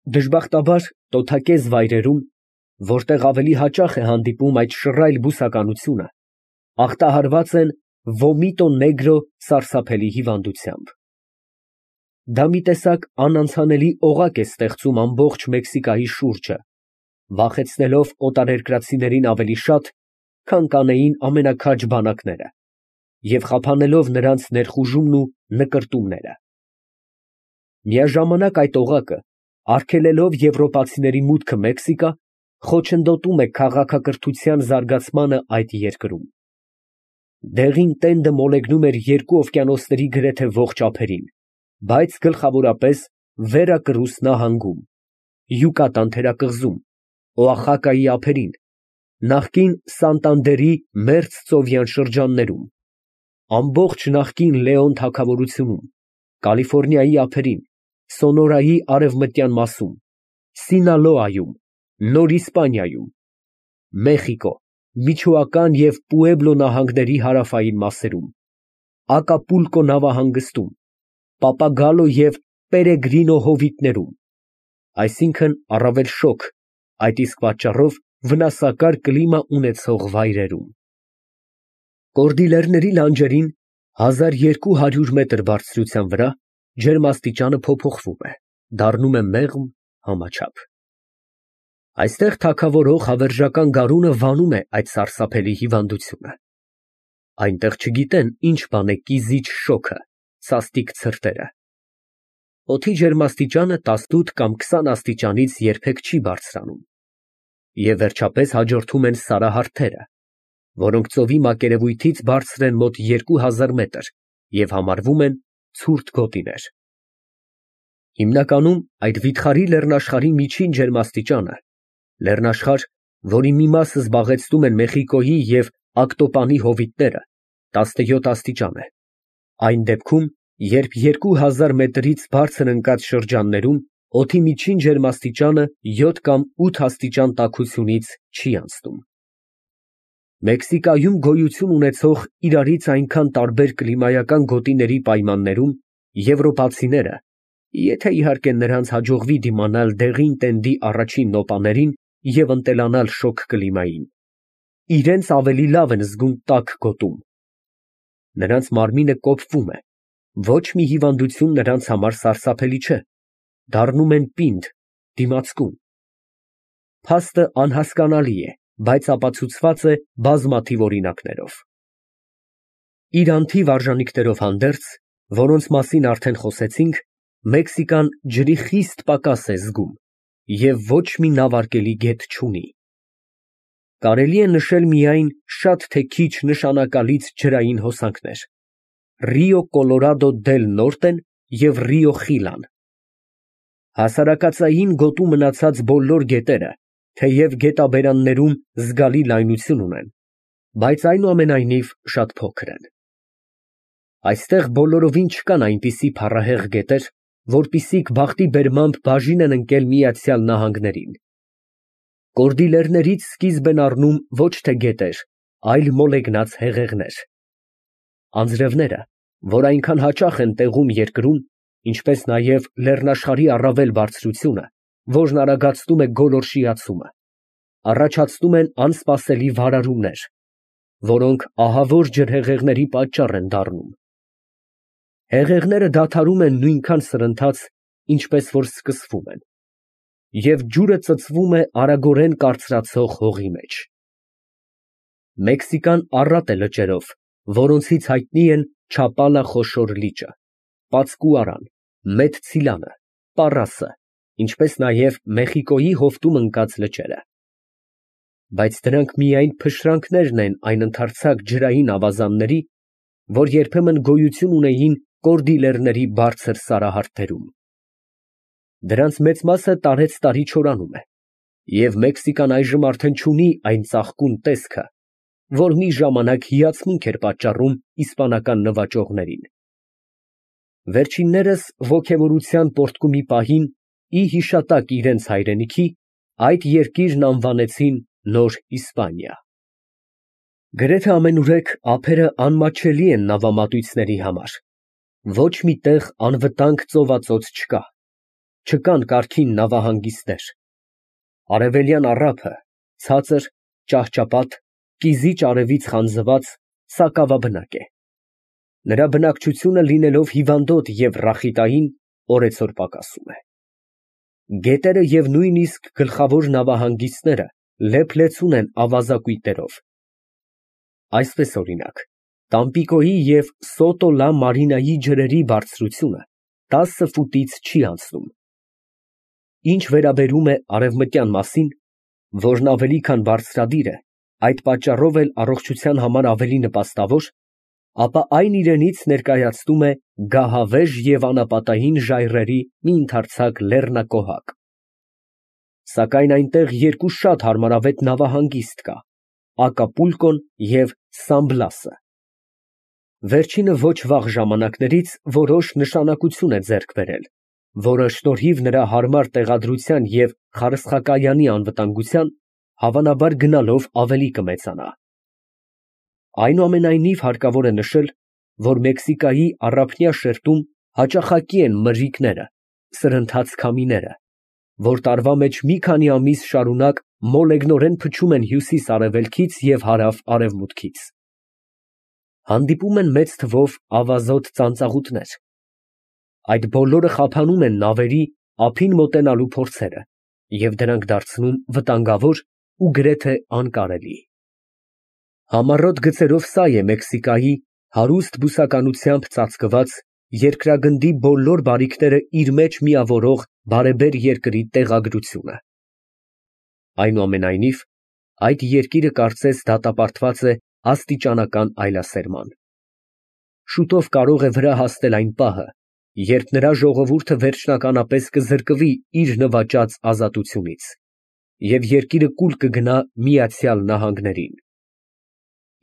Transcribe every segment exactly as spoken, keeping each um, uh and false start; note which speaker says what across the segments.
Speaker 1: Դժբախտաբար տոթակեզ վայրերում, որտեղ ավելի հաճախ է հանդիպում այդ շռայլ բուսականությունը, ախտահարված են վոմիտո նեգրո սարսափելի հիվանդությամբ։ Դա մի տեսակ անանցանելի օղակ է ստեղծում ամբողջ Մեքսիկայի շուրջը, վախեցնելով օտարերկրացիներին ավելի շատ, քան կանեին ամենաքաջ բանակները, և խափանելով նրանց ներխուժումն ու նկրտումները։ Միաժամանակ այդ օղակը, արգելելով եվրոպացիների մուտքը Մեքսիկա, խոչընդոտում է քաղաքակրթության զարգացմանը այդ երկրում։ Դեղին տենդը մոլեգնում էր երկու օվկիանոսների գրեթե ողջ ափերին, բայց գլխավորապես Վերակռուս նահանգում, Յուկատան թերակղզում, Օախակայի ափերին, նախկին Սանտանդերի մերձծովյան շրջաններում, ամբողջ նախկին Լեոն թագավորությունում, Կալիֆոռնիայի ափերին, Սոնորայի արևմտյան մասում, Սինալոայում, Նոր Իսպանիայում, Մեխիկո, Միչոական և Պուեբլո նահանգների հարավային մասերում, Ակապուլկո նավահանգստում, Պապագալո և Պերեգրինո հովիտներում, այսինքն առավել շոգ, այդ իսկ պատճառով վնասակար կլիմա ունեցող վայրերում։ Կորդիլերների լանջերին, հազար երկու հարյուր մետր բարձրության վրա, ջերմաստիճանը փոփոխվում է, դառնում է մեղմ, համաչափ։ Այստեղ թագավորող հավերժական գարունը վանում է այդ սարսափելի հիվանդությունը։ Այնտեղ չգիտեն ինչ բան է կիզիչ շոգը, սաստիկ ցրտերը։ Օդի ջերմաստիճանը տասնութ կամ քսան աստիճանից երբեք չի բարձրանում։ Եվ վերջապես հաջորդում են սարահարթերը, որոնք ծովի մակերևույթից բարձր են մոտ երկու հազար մետր և համարվում են ցուրտ գոտիներ։ Հիմնականում այդ վիթխարի լեռնաշխարհի միջին ջերմաստիճանը, լեռնաշխարհ, որի մի մասը զբաղեցնում են Մեխիկոյի և Ակտոպանի հովիտները, տասնյոթ աստիճան է, այն դեպքում, երբ երկու հազար մետրից բարձր ընկած շրջաններում օդի միջին ջերմաստիճանը յոթ կամ ութ աստիճան տաքությունից չի անցնում։ Մեքսիկայում գոյություն ունեցող իրարից այնքան տարբեր կլիմայական գոտիների պայմաններում եվրոպացիները, եթե իհարկե նրանց հաջողվի դիմանալ դեղին տենդի առաջին նոպաներին և ընտելանալ շոգ կլիմային, իրենց ավելի լավ են զգում տաք գոտում։ Նրանց մարմինը կոփվում է, ոչ մի հիվանդություն նրանց համար սարսափելի չէ, դառնում են պինդ, դիմացկուն։ Փաստը անհասկանալի է, բայց ապացուցված է բազմաթիվ օրինակներով։ Իր անթիվ արժանիքներով հանդերձ, որոնց մասին արդեն խոսեցինք, Մեքսիկան ջրի խիստ պակաս է զգում և ոչ մի նավարկելի գետ չունի։ Կարելի է նշել միայն շատ թե քիչ նշանակալից ջրային հոսանքներ. Ռիո Կոլորադո դել Նորտեն և Ռիո Խիլան։ Հասարակածային գոտու մնացած բոլոր գետերը, թեև գետաբերաններում զգալի լայնություն ունեն, բայց այնուամենայնիվ շատ փոքր են։ Այստեղ բոլորովին չկան այնպիսի փառահեղ գետեր, որպիսիք բախտի բերմամբ բաժին են ընկել Միացյալ Նահանգներին։ Կորդիլերներից սկիզբ են առնում ոչ թե գետեր, այլ մոլեգնած հեղեղներ։ Անձրևները, որ այնքան հաճախ են տեղում երկրում, ինչպես նաև լեռնաշխարհի առավել բարձրությունը, որն արագացնում է գոլորշիացումը, առաջացնում են անսպասելի վարարումներ, որոնք ահավոր ջրհեղեղների պատճառ են դառնում։ Հեղեղները դադարում են նույնքան սրընթաց, ինչպես որ սկսվում են, և ջուրը ծծվում է արագորեն կարծրացող հողի մեջ։ Մեքսիկան առատ է լճերով, որոնցից հայտնի են Չապալա խոշոր լիճը, Պացկուարան, Մետցիլանը, Պառասը, ինչպես նաև Մեխիկոյի հովտում ընկած լճերը։ Բայց դրանք միայն փշրանքներն են այն ընդարձակ ջրային ավազանների, որ երբեմն գոյություն ունեին կորդիլերների բարձր սարահարթերում։ Դրանց մեծ մասը տարեցտարի չորանում է, և Մեքսիկան այժմ արդեն չունի այն ծաղկուն տեսքը, որ մի ժամանակ հիացմունք էր պատճառում իսպանական նվաճողներին։ Վերջիններս ոգևորության պոռթկումի պահին, ի հիշատակ իրենց հայրենիքի, այդ երկիրն անվանեցին Նոր Իսպանիա։ Գրեթե ամենուրեք ափերը անմատչելի են նավամատույցների համար։ Ոչ մի տեղ անվտանգ ծովածոց չկա։ չկան կարգին նավահանգիստներ։ Արևելյան առափը ցածր, ճահճապատ, կիզիչ արևից խանձված, սակավաբնակ է։ Նրա բնակչությունը լինելով հիվանդոտ և ռախիտային, օրեցօր պակասում է։ Գետերը և նույնիսկ գլխավոր նավահանգիստները լեփ-լեցուն են ավազակույտերով։ Այսպես օրինակ, Տամպիկոյի և Սոտո Լա Մարինայի ջրերի բարձրությունը տասը ֆուտից չի անցնում։ Ինչ վերաբերում է արևմտյան մասին, որն ավելի քան բարձրադիր է, այդ պատճառով էլ առողջության համար ավելի նպաստավոր, ապա այն իրենից ներկայացնում է գահավեժ և անապատային ժայռերի մի ընդարձակ լեռնակոհակ։ Սակայն այնտեղ երկու շատ հարմարավետ նավահանգիստ կա՝ Ակապուլկոն և Սան Բլասը։ Վերջինը ոչ վաղ ժամանակներից որոշ նշանակություն է ձեռք բերել, որը շնորհիվ նրա հարմար տեղադրության և խարսխակայանի անվտանգության, հավանաբար գնալով ավելի կմեծանա։ Այնուամենայնիվ հարկավոր է նշել, որ Մեքսիկայի առափնյա շերտում հաճախակի են մրրիկները, սրընթաց քամիները, որ տարվա մեջ մի քանի ամիս շարունակ մոլեգնորեն փչում են հյուսիս֊արևելքից և հարավ֊արևմուտքից։ Հանդիպում են մեծ թվով ավազոտ ծանծաղուտներ։ Այդ բոլորը խափանում են նավերի ափին մոտենալու փորձերը և դրանք դարձնում վտանգավոր ու գրեթե անկարելի։ Համառոտ գծերով սա է Մեքսիկայի հարուստ բուսականությամբ ծածկված երկրագնդի բոլոր բարիքները իր մեջ միավորող բարեբեր երկրի տեղագրությունը։ Այնուամենայնիվ, այդ երկիրը կարծես դատապարտված է աստիճանական այլասերման։ Շուտով կարող է վրա հասնել այն պահը, երբ նրա ժողովուրդը վերջնականապես կզրկվի իր նվաճած ազատությունից, և երկիրը կուլ կգնա Միացյալ Նահանգներին։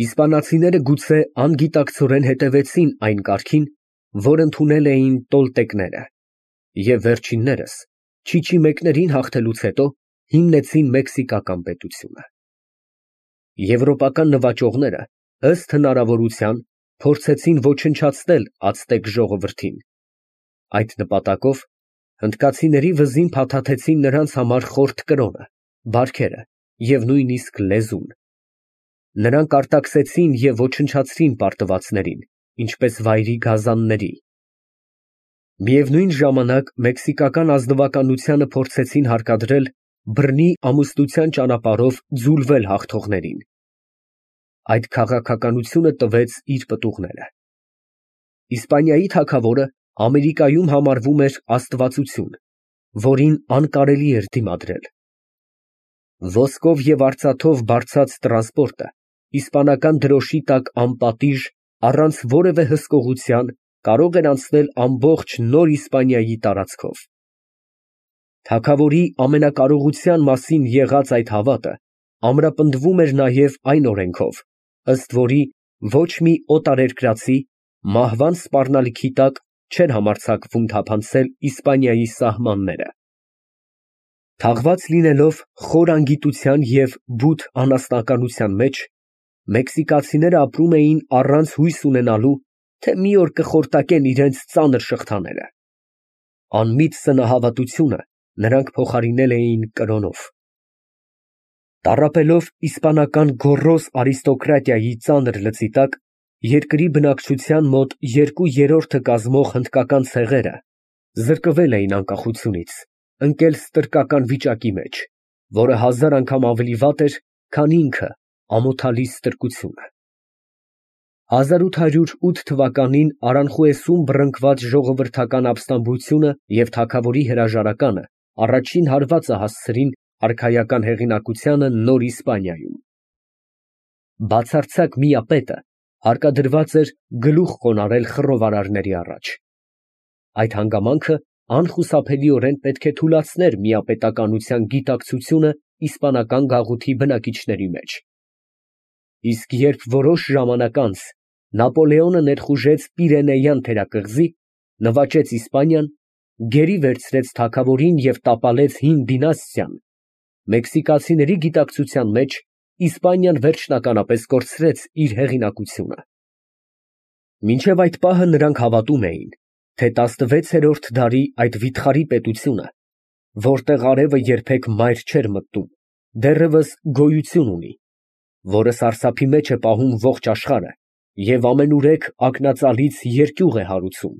Speaker 1: Իսպանացիները գուցե անգիտակցորեն հետևեցին այն կարգին, որ ընդունել էին տոլտեկները, և վերջիններս, չիչիմեկներին հաղթելուց հետո, հիմնեցին մեքսիկական պետությունը։ Եվրոպական նվաճողները, ըստ հնարավորության, փորձեցին ոչնչացնել ացտեկ ժողովրդին։ Այդ նպատակով հնդկացիների վզին փաթաթեցին նրանց համար խորթ կրոնը, բարքերը և նույնիսկ լեզուն։ Նրանք արտաքսեցին և ոչնչացրին պարտվածներին, ինչպես վայրի գազանների։ Միևնույն ժամանակ մեքսիկական ազնվականությանը փորձեցին հարկադրել բռնի ամուսնության ճանապարհով ձուլվել հաղթողներին։ Այդ քաղաքականությունը տվեց իր պտուղները։ Իսպանիայի թագավորը Ամերիկայում համարվում էր աստվածություն, որին անկարելի էր դիմադրել։ Ոսկով և արծաթով բարձած տրանսպորտը իսպանական դրոշի տակ անպատիժ, առանց որևէ հսկողության կարող էր անցնել ամբողջ Նոր Իսպանիայի տարածքով։ Թագավորի ամենակարողության մասին եղած այդ հավատը ամրապնդվում էր նաև այն օրենքով, ըստ որի ոչ մի օտարերկրացի մահվան սպառնալիքի տակ չէր համարձակվում թափանցել Իսպանիայի սահմանները։ Թաղված լինելով խոր անգիտության և բութ անասնականության մեջ, մեքսիկացիները ապրում էին առանց հույս ունենալու, թե մի օր կխորտակեն իրենց ծանր շղթաները։ Անմիտ սնահավատությունը նրանք փոխարինել էին կրոնով։ Տառապելով իսպանական գոռոզ արիստոկրատիայի ծանր լծի տակ, երկրի բնակչության մոտ երկու երրորդը կազմող հնդկական ցեղերը զրկվել էին անկախությունից, ընկել ստրկական վիճակի մեջ, որը հազար անգամ ավելի վատ էր, քան ինքը ամոթալի ստրկությունը։ հազար ութ հարյուր ութ թվականին Արանխուեսում բռնկված ժողովրդական ապստամբությունը և թագավորի հրաժարականը առաջին հարվածը հասցրին արքայական հեղինակությանը Նոր Իսպանիայում։ Բացարձակ միապետը հարկադրված էր գլուխ խոնարհել խռովարարների առաջ։ Այդ հանգամանքը անխուսափելիորեն պետք է թուլացներ միապետականության գիտակցությունը իսպանական գաղութի բնակիչների մեջ։ Իսկ երբ որոշ ժամանակ անց Նապոլեոնը ներխուժեց Պիրենեյան թերակղզի, նվաճեց Իսպանիան, գերի վերցրեց թագավորին և տապալեց հին դինաստիան, մեքսիկացիների գիտակցության մեջ Իսպանիան վերջնականապես կորցրեց իր հեղինակությունը։ Մինչև այդ պահը նրանք հավատում էին, թե տասնվեցերորդ դարի այդ վիթխարի պետությունը, որտեղ արևը երբեք մայր չէր մտնում, դեռևս գոյություն ունի, որը սարսափի մեջ է պահում ողջ աշխարհը և ամենուրեք ակնածալից երկյուղ է հարուցում։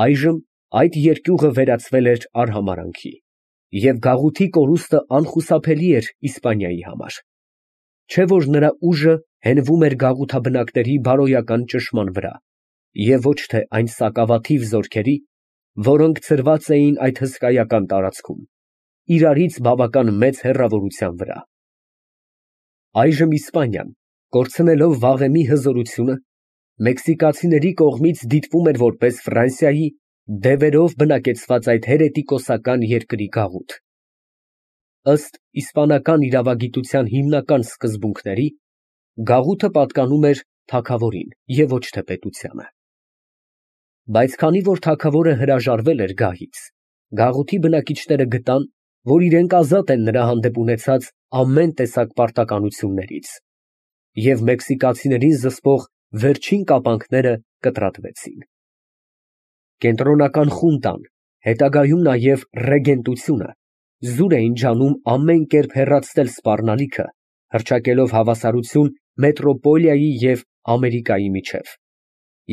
Speaker 1: Այժմ այդ երկյուղը վերածվել էր արհամարհանքի, և գաղութի կորուստը անխուսափելի էր Իսպանիայի համար, չէ՞ որ նրա ուժը հենվում էր գաղութաբնակների բարոյական ճնշման վրա, և ոչ թե այն սակավաթիվ զորքերի, որոնք ցրված էին այդ հսկայական տարածքում, իրարից բավական մեծ հեռավորության վրա։ Այժմ Իսպանիան, կորցնելով վաղեմի հզորությունը, մեքսիկացիների կողմից դիտվում էր որպես Ֆրանսիայի դևերով բնակեցված այդ հերետիկոսական երկրի գաղութ։ Ըստ իսպանական իրավագիտության հիմնական սկզբունքների, գաղութը պատկանում էր թագավորին և ոչ թե պետությանը։ Բայց քանի որ թագավորը հրաժարվել էր գահից, գաղութի բնակիչները գտան, որ իրենք ազատ են նրա հանդեպ ունեցած ամեն տեսակ պարտականություններից, և մեքսիկացիներին զսպող վերջին կապանքները կտրատվեցին։ Կենտրոնական խունտան, հետագայում նաև ռեգենտությունը զուր էին ջանում ամեն կերպ հեռացնել սպառնալիքը, հռչակելով հավասարություն մետրոպոլիայի և Ամերիկայի միջև,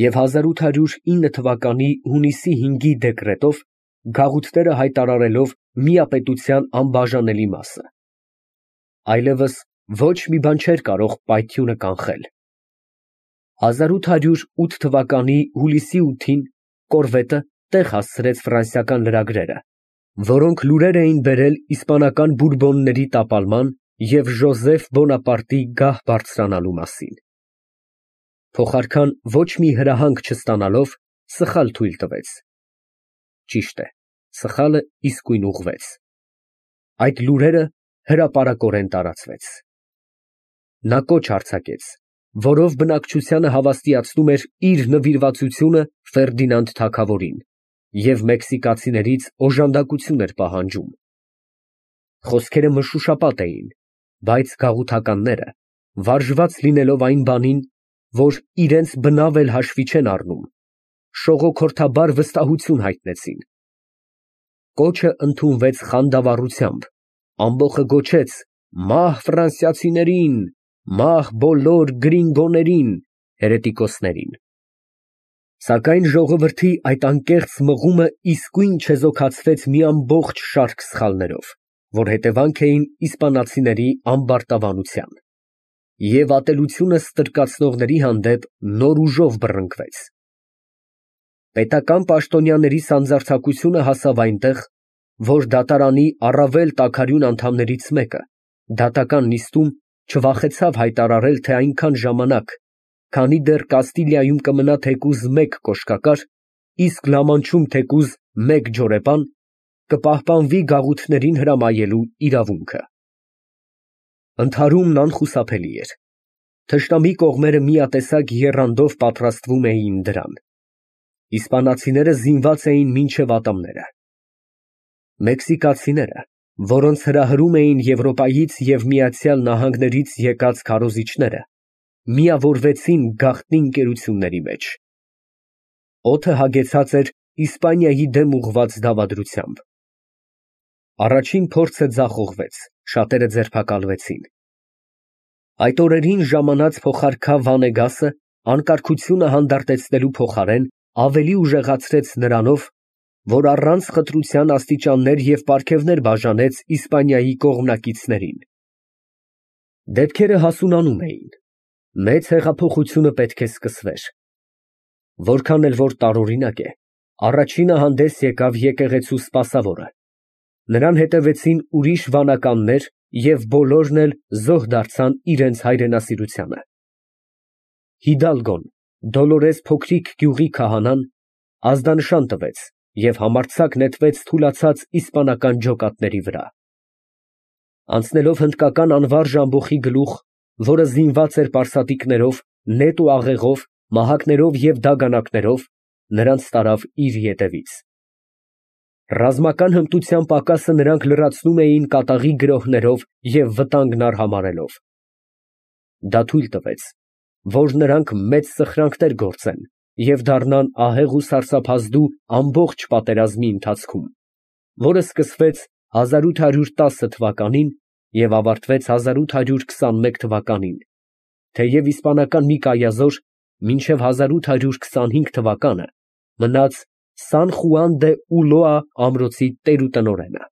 Speaker 1: և հազար ութ հարյուր ինը թվականի հունիսի հինգի դեկրետով գաղութները հայտարարելով միապետության անբաժանելի մասը։ Այլևս ոչ մի բան չէր կարող պայթյունը կանխել։ հազար ութ հարյուր ութ թվականի հուլիսի ութին կորվետը տեղ հասցրեց ֆրանսիական լրագրերը, որոնք լուրեր էին բերել իսպանական բուրբոնների տապալման և Ժոզեֆ Բոնապարտի գահ բարձրանալու մասին։ Փոխարքան ոչ մի հրահանգ չստանալով, սխալ թույլ տվեց։ Ճիշտ է, սխալը իսկույն ուղղվեց։ Այդ լուրերը հրապարակորեն տարածվեց։ Նա կոչ արձակեց, որով բնակչությանը հավաստիացնում էր իր նվիրվածությունը Ֆերդինանդ թագավորին և մեքսիկացիներից օժանդակություն էր պահանջում։ Խոսքերը մշուշապատ էին, բայց գաղութականները, վարժված լինելով այն բանին, որ իրենց բնավ էլ հաշվի չեն առնում, շողոքորթաբար վստահություն հայտնեցին։ Կոչը ընդունվեց խանդավառությամբ, ամբոխը գոչեց. «Մահ ֆրանսիացիներին, մահ բոլոր գրինգոներին (հերետիկոսներին)»։ Սակայն ժողովրդի այդ անկեղծ մղումը իսկույն չեզոքացվեց մի ամբողջ շարք սխալներով, որ հետևանք էին իսպանացիների ամբարտավանության, և ատելությունը ստրկացնողների հանդեպ նոր ուժով բռնկվեց։ Պետական պաշտոնյաների սանձարձակությունը հասավ այնտեղ, որ դատարանի առավել տաքարյուն անդամներից մեկը դատական նիստում չվախեցավ հայտարարել, թե այնքան ժամանակ, քանի դեռ Կաստիլիայում կմնա թեկուզ մեկ կոշկակար, իսկ Լա Մանչում թեկուզ մեկ ջորեպան, կպահպանվի գաղութներին հրամայելու իրավունքը։ Ընդհարումն անխուսափելի էր։ Թշնամի կողմերը միատեսակ եռանդով պատրաստվում էին դրան։ Իսպանացիները զինված էին մինչև ատամները։ Մեքսիկացիները, որոնց հրահրում էին Եվրոպայից և Միացյալ Նահանգներից եկած քարոզիչները, միավորվեցին գաղտնի ընկերությունների մեջ։ Օդը հագեցած էր Իսպանիայի դեմ ուղղված դավադրությամբ։ Առաջին փորձը ձախողվեց, շատերը ձերբակալվեցին։ Այդ օրերին ժամանած փոխարքա Վանեգասը անկարգությունը հանդարտեցնելու փոխարեն ավելի ուժեղացրեց նրանով, որ առանց խտրության աստիճաններ և պարգևներ բաժանեց Իսպանիայի կողմնակիցներին։ Դեպքերը հասունանում էին։ Մեծ հեղափոխությունը պետք է սկսվեր։ Որքան էլ որ տարօրինակ է, առաջինը հանդես եկավ եկեղեցու սպասավորը։ Նրան հետևեցին ուրիշ վանականներ և բոլորն էլ զոհ դարձան իրենց հայրենասիրությանը։ Հիդալգոն, Դոլորես փոքրիկ գյուղի քահանան, ազդանշան տվեց և համարձակ նետվեց թուլացած իսպանական ջոկատների վրա։ Անցնելով հնդկական անվարժ ամբոխի գլուխ, որը զինված էր պարսատիկներով, նետ ու աղեղով, մահակներով և դագանակներով, նրանց տարավ իր ետևից։ Ռազմական հմտության պակասը նրանք լրացնում էին կատաղի գրոհներով և վտանգն արհամարհելով։ Դա թույլ տվեց, որ նրանք մեծ սխրանքներ գործեն և դառնան ահեղ ու սարսափազդու ամբողջ պատերազմի ընթացքում, որը սկսվեց հազար ութ հարյուր տասը թվականին և ավարտվեց հազար ութ հարյուր քսանմեկ թվականին, թեև իսպանական մի կայազոր մինչև հազար ութ հարյուր քսանհինգ թվականը մնաց Սան Խուան դե Ուլոա ամրոցի տեր ու տնօրենը։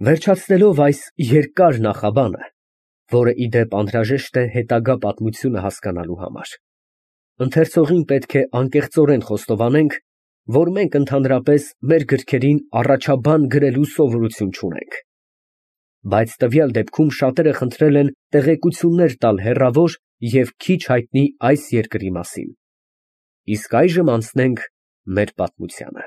Speaker 1: Վերջացնելով այս երկար նախաբանը, որը ի դեպ անհրաժեշտ է հետագա պատմությունը հասկանալու համար, ընթերցողին պետք է անկեղծորեն խոստովանենք, որ մենք ընդհանրապես մեր գրքերին առաջաբան գրելու սովորություն չունենք, բայց տվյալ դեպքում շատերը խնդրել են տեղեկություններ տալ հեռավոր և քիչ հայտնի այս երկրի մասին։ Իսկ այժմ անցնենք մեր պատմությանը։